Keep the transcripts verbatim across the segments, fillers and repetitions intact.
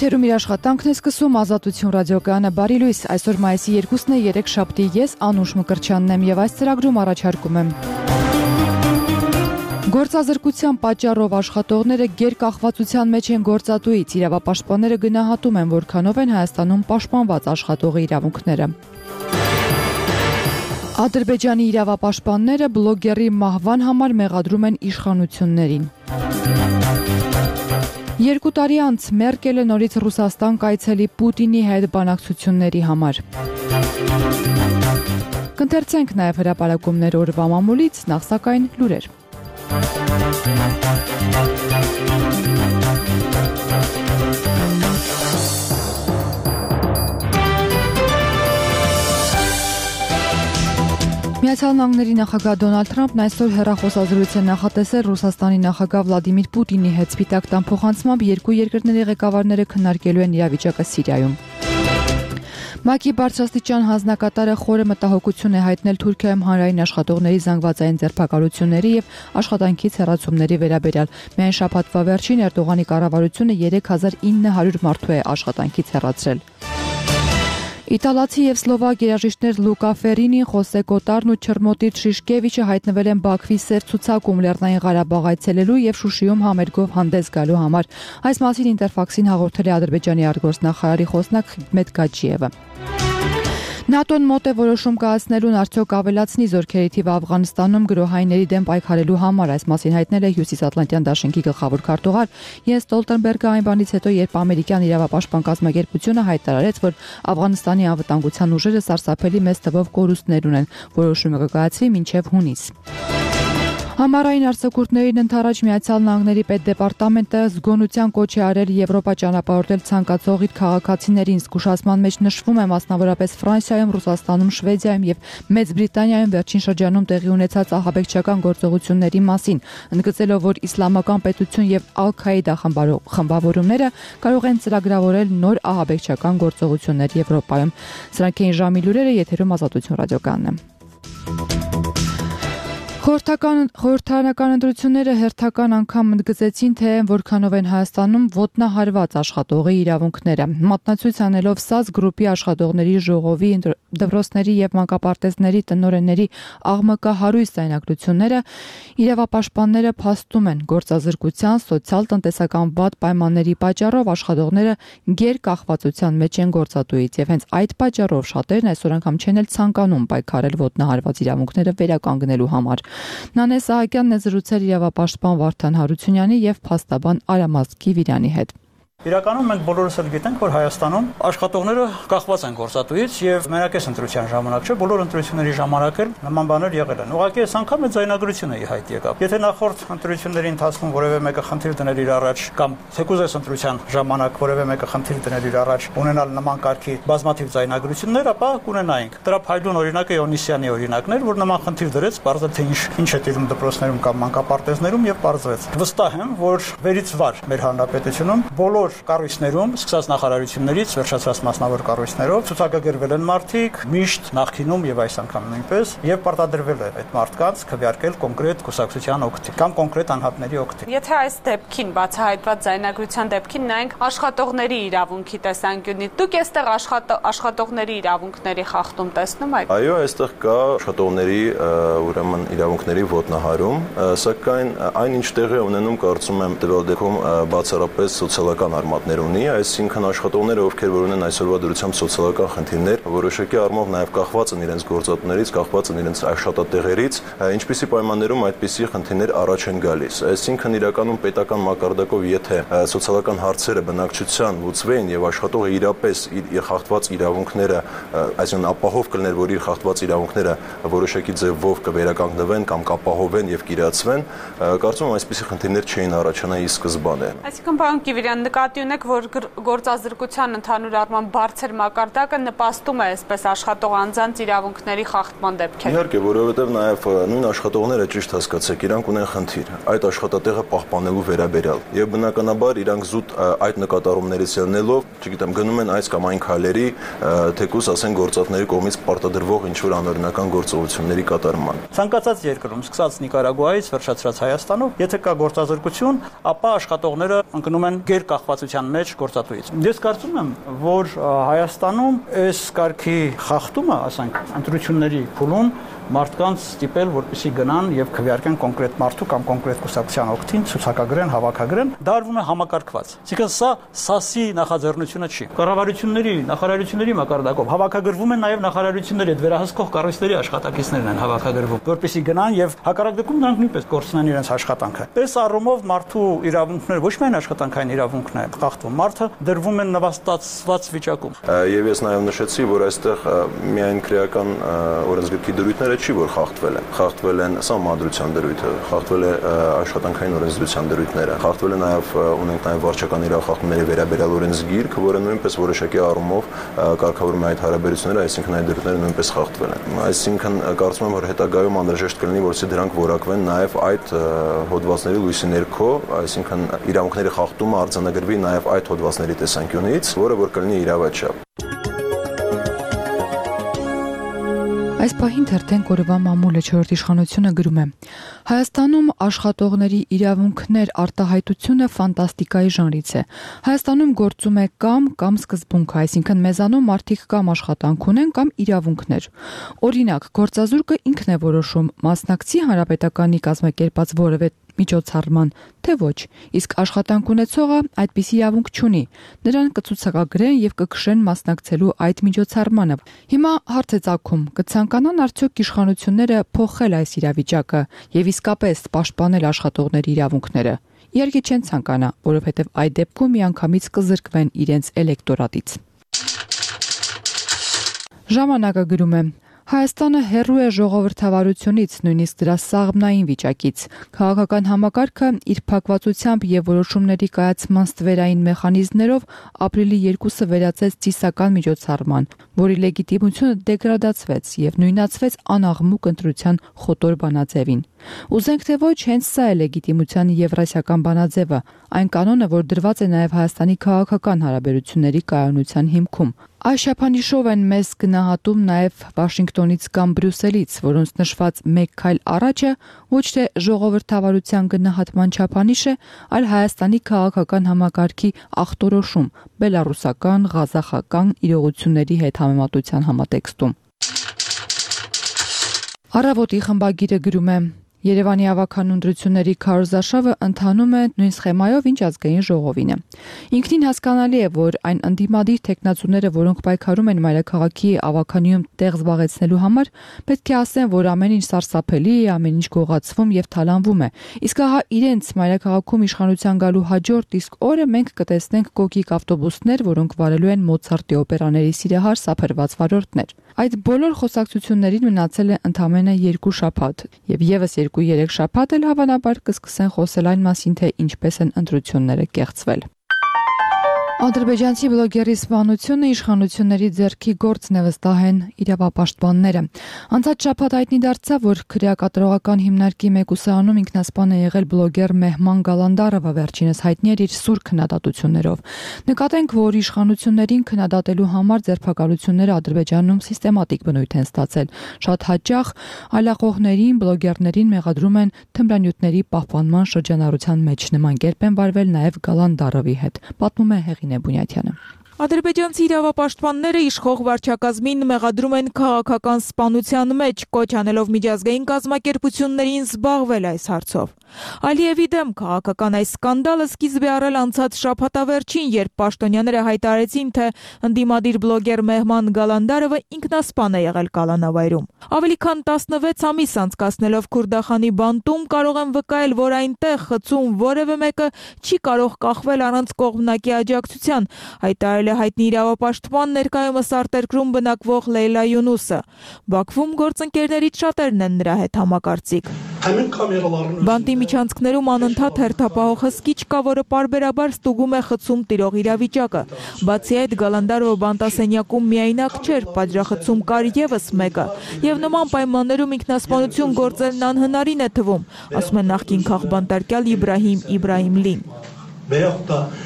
Եթերում իր աշխատանքն է սկսում Ազատություն ռադիոկայանը բարի լույս, այսօր մայիսի երկուսն է, երեքշաբթի, ես Անուշ Մկրտչյանն եմ եւ այս ծրագրում առաջարկում եմ Գործազրկության պատճառով աշխատողները գերկախվածության մեջ են գործատուից, իրավապաշտպանները գնահատում են, որքանով են Հայաստանում պաշտպանված աշխատողի իրավունքները։ Ադրբեջանի իրավապաշտպանները բլոգերի մահվան համար մեղադրում են իշխանություններին։ Երկու տարի անց Մերկելը նորից Ռուսաստան կայցելի Պուտինի հետ բանակցությունների համար։ Կընթերցենք նաև հրապարակումներ օրվա մամուլից, նախ սակայն լուրեր։ Միացյալ Նահանգների նախագահ Դոնալդ Թրամփն այսօր հեռախոսազրույց է նախատեսել Ռուսաստանի նախագահ Վլադիմիր Պուտինի հետ Սպիտակ տան փոխանցմամբ երկու երկրների ղեկավարները քննարկելու են իրավիճակը Սիրիայում։ ՄԱԿ-ի բարձրաստիճան հանձնակատարը խորը մտահոգություն է հայտնել Թուրքիայում հանրային աշխատողների զանգվածային ձերբակալությունների եւ աշխատանքից հեռացումների վերաբերյալ։ Միայն շաբաթվա վերջին Էրդողանի կառավարությունը երեք հազար ինը հարյուր մարդու է աշխատանքից հեռացրել։ Իտալացի եւ սլովակ երաժիշտներ Լուկա Ֆերինին, Խոսե Կոտարն ու Չրմոտիր Շիշկևիչը հայտնվել են Բաքվի Սև ցուցակում Լեռնային Ղարաբաղ այցելելու եւ Շուշիում համերգով հանդես գալու համար։ Այս մասին Ինտերֆաքսին հաղորդել է Ադրբեջանի արտգործնախարարի խոսնակ Խիդմետ Գաջիևը։ ՆԱՏՕ-ն մոտ է որոշում կայացնելուն արդյոք ավելացնի զորքերի թիվը Աֆղանստանում գրոհայինների դեմ պայքարելու համար, այս մասին հայտնել է Հյուսիսատլանտյան դաշինքի գլխավոր քարտուղար Յենս Ստոլտենբերգը այն բանից հետո, երբ ամերիկյան իրավապաշտպան կազմակերպությունը հայտարարեց, որ Աֆղանստանի անվտանգության ուժերը սարսափելի մեծ թվով կորուստներ ունեն, որոշումը կկայացվի մինչև հունիս։ Համառային արձակուրդներին ընդառաջ Միացյալ Նահանգների պետդեպարտամենտը զգոնության կոչ է արել Եվրոպա ճանապարհորդել ցանկացող իր քաղաքացիներին, զգուշացման մեջ նշվում է մասնավորապես Ֆրանսիայում, Ռուսաստանում, Շվեդիայում եւ Մեծ Բրիտանիայում վերջին շրջանում տեղի ունեցած ահաբեկչական գործողությունների մասին, ընդգծելով, որ իսլամական պետություն եւ Ալ-Քաիդա խմբավորումները կարող են ծրագրավորել նոր ահաբեկչական գործողություններ Եվրոպայում։ Սրանք էին ժամի լուրերը, եթերում Ազատություն ռադիոկայանն է։ Խորհրդարանական ընտրությունները հերթական անգամ ընդգծեցին, թե որքանով են Հայաստանում ոտնահարված աշխատողի իրավունքները։ Մատնացույց անելով ՍԱԶ գրուպի աշխատողների ժողովի, դպրոցների եւ մանկապարտեզների տնօրենների աղմկահարույց ձայնագրությունները, իրավապաշտպանները փաստում են գործազրկության, սոցիալ-տնտեսական վատ պայմանների պատճառով աշխատողները գերկախվածության մեջ են գործատուից եւ հենց այդ պատճառով շատերն այսօր անգամ չեն էլ ցանկանում պայքարել ոտնահարված իրավունքները վերականգնելու համար։ Նանե Սահակյանն է զրուցել իրավապաշտպան Վարդան Հարությունյանի եւ փաստաբան Արամազգ Գիվիրյանի հետ։ Իրականում մենք բոլորս էլ գիտենք, որ Հայաստանում աշխատողները կախված են գործատուից եւ մենակ էս ընտրության ժամանակ չէ, բոլոր ընտրությունների ժամանակ էլ նման բաներ եղել են։ Ուղղակի այս անգամ է ձայնագրությունը ի հայտ եկավ։ Եթե նախորդ ընտրությունների ընթացքում որևէ մեկը խնդիր դներ իր առաջ կամ թեկուզ այս ընտրության ժամանակ որևէ մեկը խնդիր դներ իր առաջ ունենալ նման կարգի բազմաթիվ ձայնագրություններ, ապա կունենայինք։ Դրա փայլուն օրինակը Իոնիսյանի օրինակն էր, որ նման խնդիր դրեց, բարձր թե ինչ ինչ է տիրում դպրոցներում կամ մանկապարտեզներում եւ բարձրեց։ Վստահ եմ, որ վերից վար մեր հանրապետությունում բոլոր կառույցներում, սկսած նախարարություններից, վերջացած մասնավոր կառույցներով ցուցակագրվել են մարդիկ, միշտ նախկինում եւ այս անգամ նույնպես, եւ պարտադրվել է այդ մարդկանց քվեարկել կոնկրետ կուսակցության օգտին կամ կոնկրետ անհատների օգտին։ Եթե այս դեպքին բացահայտված ձայնագրության դեպքին նայենք աշխատողների իրավունքի տեսանկյունից, դուք այստեղ աշխատողների իրավունքների խախտում տեսնում եք։ Այո, այստեղ կա աշխատողների ուրեմն իրավունքների ոտնահարում, սակայն այն ինչ տեղի է ունենում, կարծում եմ, տվյալ դեպքում բացառապես սոցիալական արմատներ ունի, այսինքն աշխատողները, ովքեր որ ունեն այսօրվա դրությամբ սոցիալական խնդիրներ, որոշակի առումով նաև կախված են իրենց գործատուներից, կախված են իրենց աշխատատեղերից, ինչպիսի պայմաններում այդպիսի խնդիրներ առաջ են գալիս։ Այսինքն իրականում պետական մակարդակով, եթե սոցիալական հարցերը բնակչության լուծվեն եւ աշխատողը իրապես իր խախտված իրավունքները, այսինքն ապահով կլներ, որ իր խախտված իրավունքները որոշակի ձևով կվերականգնվեն կամ կապահովեն եւ կիրացվեն, կարծում եմ այսպիսի խնդիրներ չէին առաջանա ի սկզբանե։ Այսինքն պարոն Գիվիրյան, նկատի ունեք, որ գործազրկության ընդհանուր առմամբ բարձր մակարդակը նպաստում է այսպես աշխատող անձանց իրավունքների խախտման դեպքեր։ Իհարկե, որովհետև նաև նույն աշխատողները ճիշտ հասկացեք, իրանք ունեն խնդիր այդ աշխատատեղը պահպանելու վերաբերյալ եւ բնականաբար իրանք զուտ այդ նկատառումներից ելնելով, չգիտեմ, գնում են այս կամ այն քայլերի, թեկուզ ասեն գործատների կողմից պարտադրվող ինչ որ անօրինական գործողությունների կատարման։ Ցանկացած երկրում, սկսած Նիկարագուայից վերջացրած Հայաստանում, եթե կա գործազրկություն, ապա աշխատողները ընկնում են գերկախված կապվածության մեջ գործատուից։ Ես կարծում եմ, որ Հայաստանում այս կարգի խախտումը, ասենք, ընտրությունների փուլում մարդկանց ստիպել, որպեսզի գնան եւ քվեարկեն կոնկրետ մարդու կամ կոնկրետ կուսակցության օգտին, ցուցակագրեն, հավաքագրեն, դա արվում է համակարգված։ Այսինքն սա սասի նախաձեռնությունը չի։ Կառավարությունների, նախարարությունների մակարդակով հավաքագրվում են նաեւ նախարարությունների հետ վերահսկող կառույցների աշխատակիցներն են հավաքագրվում, որպեսզի գնան եւ հակառակ դեպքում նրանք նույնպես կորցնեն իրենց աշխատանքը։ Այս առումով մարդու իրավունքները ոչ միայն աշխատանքային իրավունքն է խախտվում, մարդը դրվում է նվաստացված վիճակում։ Եվ ես նաեւ նշեցի, որ այստեղ միայն քրեական օրենսգրքի դրույթները չի, որ խախտվել են։ Խախտվել են սահմանադրության դրույթը, խախտվել է աշխատանքային օրենսդրության դրույթները, խախտվել է նաև ունենք նաև վարչական իրավախախտումների վերաբերյալ օրենսգիրք, որը նույնպես որոշակի առումով կարգավորում է այդ հարաբերությունները, այսինքն այդ դրույթները նույնպես խախտվել են։ Այսինքն կարծում եմ, որ հետագայում անհրաժեշտ կլինի, որպեսզի դրանք որակվեն նաև այդ հոդվածների լույսի ներքո, այսինքն իրավունքների խախտումը արձանագրվի նաև այդ հոդվածների տեսանկյունից, որը որ կլինի իրավաչափ։ Այս պահին թերթեն կորվա մամուլը չորրորդ իշխանությունը գրում է. Հայաստանում աշխատողների իրավունքներ արտահայտությունը ֆանտաստիկայի ժանրից է։ Հայաստանում գործում է կամ կամ սկզբունքը, այսինքն մեզանում մարդիկ կամ աշխատանք ունեն կամ իրավունքներ։ Օրինակ, գործազուրկը ինքն է որոշում մասնակցի հանրապետականի կազմակերպած որևէ միջոցառման, թե ոչ, իսկ աշխատանք ունեցողը այդպիսի իրավունք չունի։ Նրան կցուցակագրեն եւ կքշեն մասնակցելու այդ միջոցառմանը։ Հիմա հարց է ծագում, կցանկանան արդյոք իշխանությունները փոխել այս իրավիճակը եւ իսկապես պաշտպանել աշխատողների իրավունքները։ Իհարկե չեն ցանկանա, որովհետեւ այդ դեպքում միանգամից կզրկվեն իրենց էլեկտորատից։ Ժամանակը գրում է. Հայաստանը հեռու է ժողովրդավարությունից, նույնիսկ դրա սաղմնային վիճակից։ Քաղաքական համակարգը իր փակվածությամբ եւ որոշումների կայացման ստվերային մեխանիզմներով ապրիլի երկուսը վերածեց ծիսական միջոցառման, որի լեգիտիմությունը դեգրադացվեց եւ նույնացվեց անաղմուկ ընտրության խոտոր բանաձևին։ Ուզենք թե ոչ, հենց սա է լեգիտիմության եվրասիական բանաձևը, այն կանոնը, որ դրված է նաև Հայաստանի քաղաքական հարաբերությունների կայունության հիմքում։ Այս չափանիշով են մեզ գնահատում նաև Վաշինգտոնից կամ Բրյուսելից, որոնց նշված մեկ քայլ առաջը ոչ թե ժողովրդավարության գնահատման չափանիշ է, այլ Հայաստանի քաղաքական համակարգի ախտորոշում բելառուսական, ղազախական իրողությունների հետ համեմատության համատեքստում։ Առավոտի խմբագիրը գրում է. Երևանի ավագանուն ընտրությունների քարոզարշավը ընթանում է նույն սխեմայով, ինչ ազգային ժողովին է։ Ինքնին հասկանալի է, որ այն ընդդիմադիր տեխնացուները, որոնք պայքարում են մայրաքաղաքի ավագանիում տեղ զբաղեցնելու համար, պետք է ասեն, որ ամեն ինչ սարսափելի է, ամեն ինչ գողացվում եւ թալանվում է։ Իսկ ահա իրենց մայրաքաղաքում իշխանության գալու հաջորդ իսկ օրը մենք կտեսնենք կոկիկ ավտոբուսներ, որոնք վարելու են Մոցարտի օպերաների սիրահար սափրված վարորդներ։ Այդ բոլոր խոսակցություններին մնացել է ընդամենը երկու շաբաթ, եւ եւս երկու-երեք շաբաթ էլ հավանաբար կսկսեն խոսել այն մասին, թե ինչպես են ընտրությունները կեղծվել։ Ադրբեջանցի բլոգերի սպանությունը իշխանությունների ձեռքի գործն է, վստահ են իրավապաշտպանները։ Անցած շաբաթ հայտնի դարձավ, որ քրեակատարողական հիմնարկի մեկուսանում ինքնասպան է եղել բլոգեր Մեհման Գալանդարովը, վերջինս հայտնի էր իր սուր քննադատություններով։ Նկատենք, որ իշխանություններին քննադատելու համար ձերբակալությունները Ադրբեջանում սիստեմատիկ բնույթ են ստացել։ Շատ հաճախ այլախոհներին, բլոգերներին մեղադրում են թմրանյութերի պահպանման շրջանառության մեջ։ Նման կերպ են վարվել նաև Գալանդարովի հետ, պատմում է Հեղինե Բունյաթյանը։ Ադրբեջանցի իրավապաշտպանները իշխող վարչակազմին մեղադրում են քաղաքական սպանության մեջ, կոչ անելով միջազգային կազմակերպություններին զբաղվել այս հարցով։ Ալիևի դեմ քաղաքական այս սկանդալը սկիզբ է առել անցած շաբաթավերջին, երբ պաշտոնյաները հայտարարեցին, թե ընդդիմադիր բլոգեր Մեհման Գալանդարովը ինքնասպան է եղել Կալանավայրում։ Ավելի քան տասնվեց ամիս անցկացնելով Քուրդախանի բանտում կարող են վկայել, որ այնտեղ խցում որևէ մեկը չի կարող կախվել առանց կողմնակի աջակցության, հայտարարել է հայտնի իրավապաշտպան ներկայումս արտերկրում բնակվող Լեյլա Յունուսը։ Բաքվում գործընկերներից շատերն են նրա հետ համակարծիք։ Բանտի միջանցքներում անընդհատ հերթապահող հսկիչ կա, որը պարբերաբար ստուգում է խցում տիրող իրավիճակը։ Բացի այդ, Գալանդարովը բանտասենյակում միայնակ չէր, պատժախցում կար ևս մեկը, եւ նման պայմաններում ինքնասպանություն գործելն անհնարին է թվում, ասում է նախկին քաղբանտարկյալ Իբրահիմ Իբրահիմլին։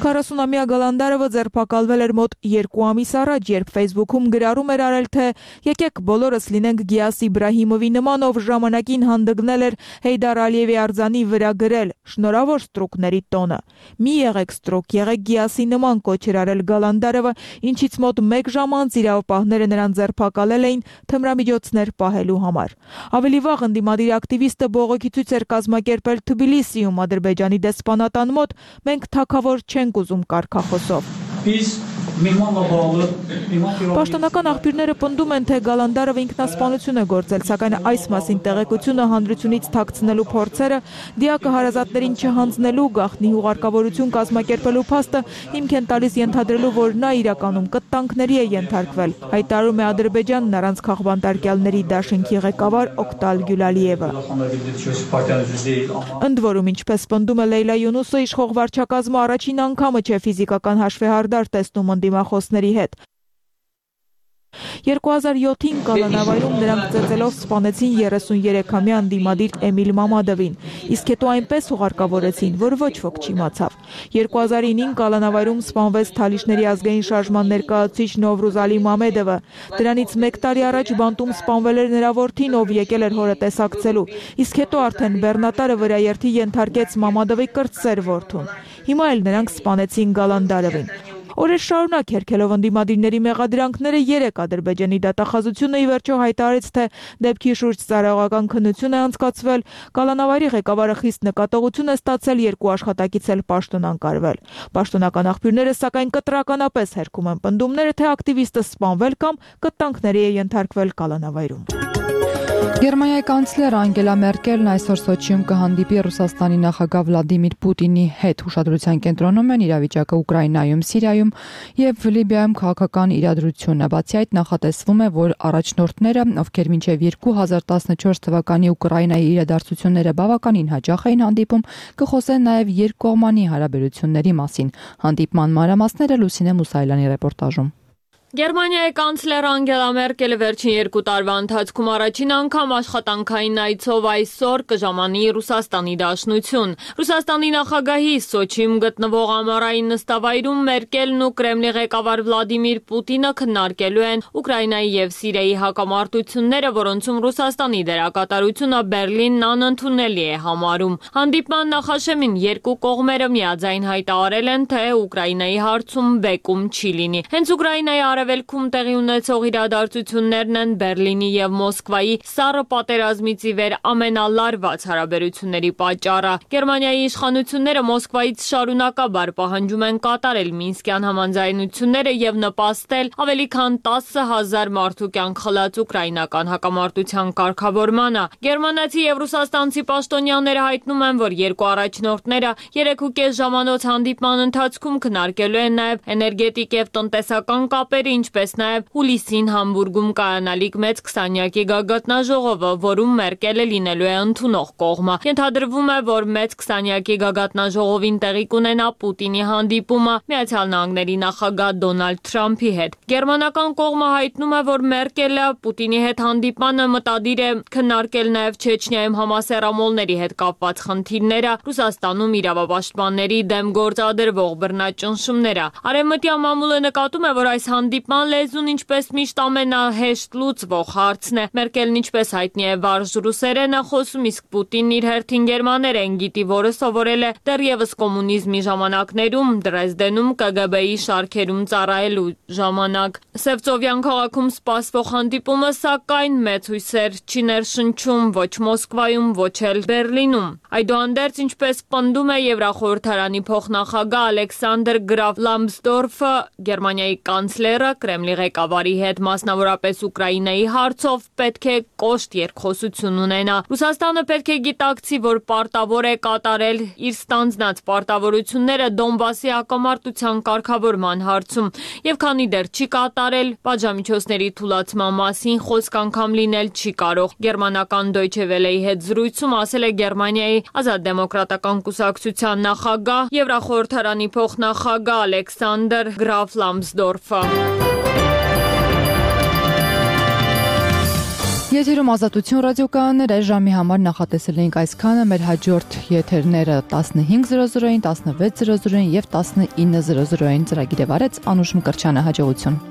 քառասունամյա Գալանդարովը ձերբակալվել էր մոտ երկու ամիս առաջ, երբ Facebook-ում գրառում էր արել, թե եկեք բոլորս լինենք Գիաս Իբրահիմովի նման, ով ժամանակին հանդգնել էր Հեյդար Ալիևի արձանի վրա գրել. «Շնորհավոր ստրուկների տոնը»։ Մի եղեք ստրուկ, եղեք Գիասի նման, կոչ էր արել Գալանդարովը, ինչից մոտ մեկ ժամ անց իրավապահները նրան ձերբակալել էին թմրամիջոցներ պահելու համար։ Ավելի վաղ ընդդիմադիր ակտիվիստը բողոքի ցույց էր կազմակերպել Թբիլիսիում, Ադրբեջանի դեսպանատան մոտ, մենք թագավոր չենք ուզում կարգախոսով։ Պաշտոնական աղբյուրները պնդում են, թե Գալանդարովը ինքնասպանություն է գործել, սակայն այս մասին տեղեկությունը հանրությունից թաքցնելու փորձերը, դիակը հարազատներին չհանձնելու, գաղտնի հուղարկավորություն կազմակերպելու փաստը հիմք են տալիս ենթադրելու, որ նա իրականում կտանքների է ենթարկվել, հայտարարում է Ադրբեջանն առանց քաղբանտարկյալների դաշինքի ղեկավար Օկտալ Գյուլալիևը։ Ընդ որում, ինչպես պնդում է Լեյլա Յունուսը, իշխող վարչակազմը առաջին անգամը չէ ֆիզիկական հաշվեհարդար տեսնում ընդդիմախոսների հետ։ երկու հազար յոթին Կալանավայրում նրանք ծեծելով սպանեցին երեսուներեքամյա ընդդիմադիր Էմիլ Մամադովին, իսկ հետո այնպես ուղարկավորեցին, որ ոչ ոք չիմացավ։ երկու հազար ինին Կալանավայրում սպանվեց Թալիշների ազգային շարժման ներկայացուցիչ Նովրուզ Ալի Մամեդովը։ Դրանից մեկ տարի առաջ բանտում սպանվել էր նրա որդին, ով եկել էր հորը տեսակցելու, իսկ հետո արդեն բեռնատարը վրաերթի ենթարկեց Մամադովի կրտսեր որդուն։ Հիմա էլ նրանք սպանեցին Գալանդարովին։ Օրեր շարունակ հերքելով ընդդիմադիրների մեղադրանքները, երեք Ադրբեջանի դատախազությունը ի վերջո հայտարարեց, թե դեպքի շուրջ ծառայողական քննություն է անցկացվել, Կալանավայրի ղեկավարը խիստ նկատողություն է ստացել, երկու աշխատակից էլ պաշտոնանկարվել։ Պաշտոնական աղբյուրները սակայն կտրականապես հերքում են պնդումները, թե ակտիվիստը սպանվել կամ կտանքների է ենթարկվել Կալանավայրում։ Գերմանիայի կանցլեր Անգելա Մերկելն այսօր Սոչիում կհանդիպի Ռուսաստանի նախագահ Վլադիմիր Պուտինի հետ։ Ուշադրության կենտրոնում են իրավիճակը Ուկրաինայում, Սիրիայում եւ Լիբիայում քաղաքական իրադրությունը։ Բացի այդ, նախատեսվում է, որ առաջնորդները, ովքեր մինչեւ երկու հազար տասնչորս թվականի Ուկրաինայի իրադարձությունները բավականին հաճախ էին հանդիպում, կխոսեն նաեւ երկկողմանի հարաբերությունների մասին։ Հանդիպման մանրամասները Լուսինե Մուսայելյանի ռեպորտաժում։ Գերմանիայի կանցլեր Անգելա Մերկելը վերջին երկու տարվա ընթացքում առաջին անգամ աշխատանքային այցով այսօր կժամանի Ռուսաստանի Դաշնություն։ Ռուսաստանի նախագահի Սոչիում գտնվող ամառային նստավայրում Մերկելն ու Կրեմլի ղեկավար Վլադիմիր Պուտինը քննարկելու են Ուկրաինայի եւ Սիրիայի հակամարտությունները, որոնցում Ռուսաստանի դերակատարությունը Բերլինն անընդունելի է համարում։ Հանդիպման նախաշեմին երկու կողմերը միաձայն հայտարարել են, թե Ուկրաինայի հարցում բեկում չի լինի։ Հենց Ուկրաինայի Արևելքում տեղի ունեցող իրադարձություններն են Բերլինի եւ Մոսկվայի սառը պատերազմից ի վեր ամենալարված հարաբերությունների պատճառը։ Գերմանիայի իշխանությունները Մոսկվայից շարունակաբար պահանջում են կատարել Մինսկյան համաձայնությունները եւ նպաստել ավելի քան տասը հազար մարդու կյանք խլած ուկրաինական հակամարտության կարգավորմանը։ Գերմանացի եւ ռուսաստանցի պաշտոնյաները հայտնում են, որ երկու առաջնորդները երեք ու կես ժամանոց հանդիպման ընթացքում քննարկելու են նաեւ էներգետիկ եւ տնտեսական կապեր, ինչպես նաև հուլիսին Համբուրգում կայանալիք մեծ քսանյակի գագաթնաժողովը, որում Մերկելը լինելու է ընդունող կողմը։ Ենթադրվում է, որ մեծ քսանյակի գագաթնաժողովին տեղի կունենա Պուտինի հանդիպումը Միացյալ Նահանգների նախագահ Դոնալդ Թրամփի հետ։ Գերմանական կողմը հայտնում է, որ Մերկելը Պուտինի հետ հանդիպանը մտադիր է քննարկել նաև Չեչնիայում համասեռամոլների հետ կապված խնդիրները, Ռուսաստանում իրավապաշտպանների դեմ գործադրվող բռնաճնշումները։ Արևմտյան մամուլը նկատում է, որ այս հանդիպման լեզուն ինչպես միշտ ամենահեշտ լուծվող հարցն է։ Մերկելն ինչպես հայտնի է վարժ ռուսերեն է խոսում, իսկ Պուտինն իր հերթին գերմաներեն գիտի, որը սովորել է դեռևս կոմունիզմի ժամանակներում, Դրեզդենում Կ Գ Բ-ի շարքերում ծառայելու ժամանակ։ Սևծովյան քաղաքում սպասվող հանդիպումը սակայն մեծ հույսեր չի ներշնչում ոչ Մոսկվայում, ոչ էլ Բերլինում։ Այդուհանդերձ, ինչպես պնդում է Եվրախորհրդարանի փոխնախագահ Ալեքսանդր Գրաֆ Լամսդորֆը, Գերմանիայի կանցլերը Կրեմլի ղեկավարի հետ մասնավորապես Ուկրաինայի հարցով պետք է կոշտ երկխոսություն ունենա։ Ռուսաստանը պետք է գիտակցի, որ պարտավոր է կատարել իր ստանձնած պարտավորությունները Դոնբասի հակամարտության կարգավորման հարցում, եւ քանի դեռ չի կատարել, պատժամիջոցների թուլացման մասին խոսք անգամ լինել չի կարող։ Գերմանական Deutsche Welle-ի հետ զրույցում ասել է Գերմանիայի Ազատ դեմոկրատական կուսակցության նախագահ, Եվրախորհրդարանի փոխնախագահ Ալեքսանդր Գրաֆ Լամսդորֆը։ Եթերում Ազատություն ռադիոկայաններ այս ժամի համար նախատեսել էինք այսքանը, մեր հաջորդ եթերները տասնհինգ զրո զրոին, տասնվեց զրո զրոին եւ տասնինը զրո զրոին ծրագիրը վարեց Անուշ Մկրտչյանը, հաջողություն։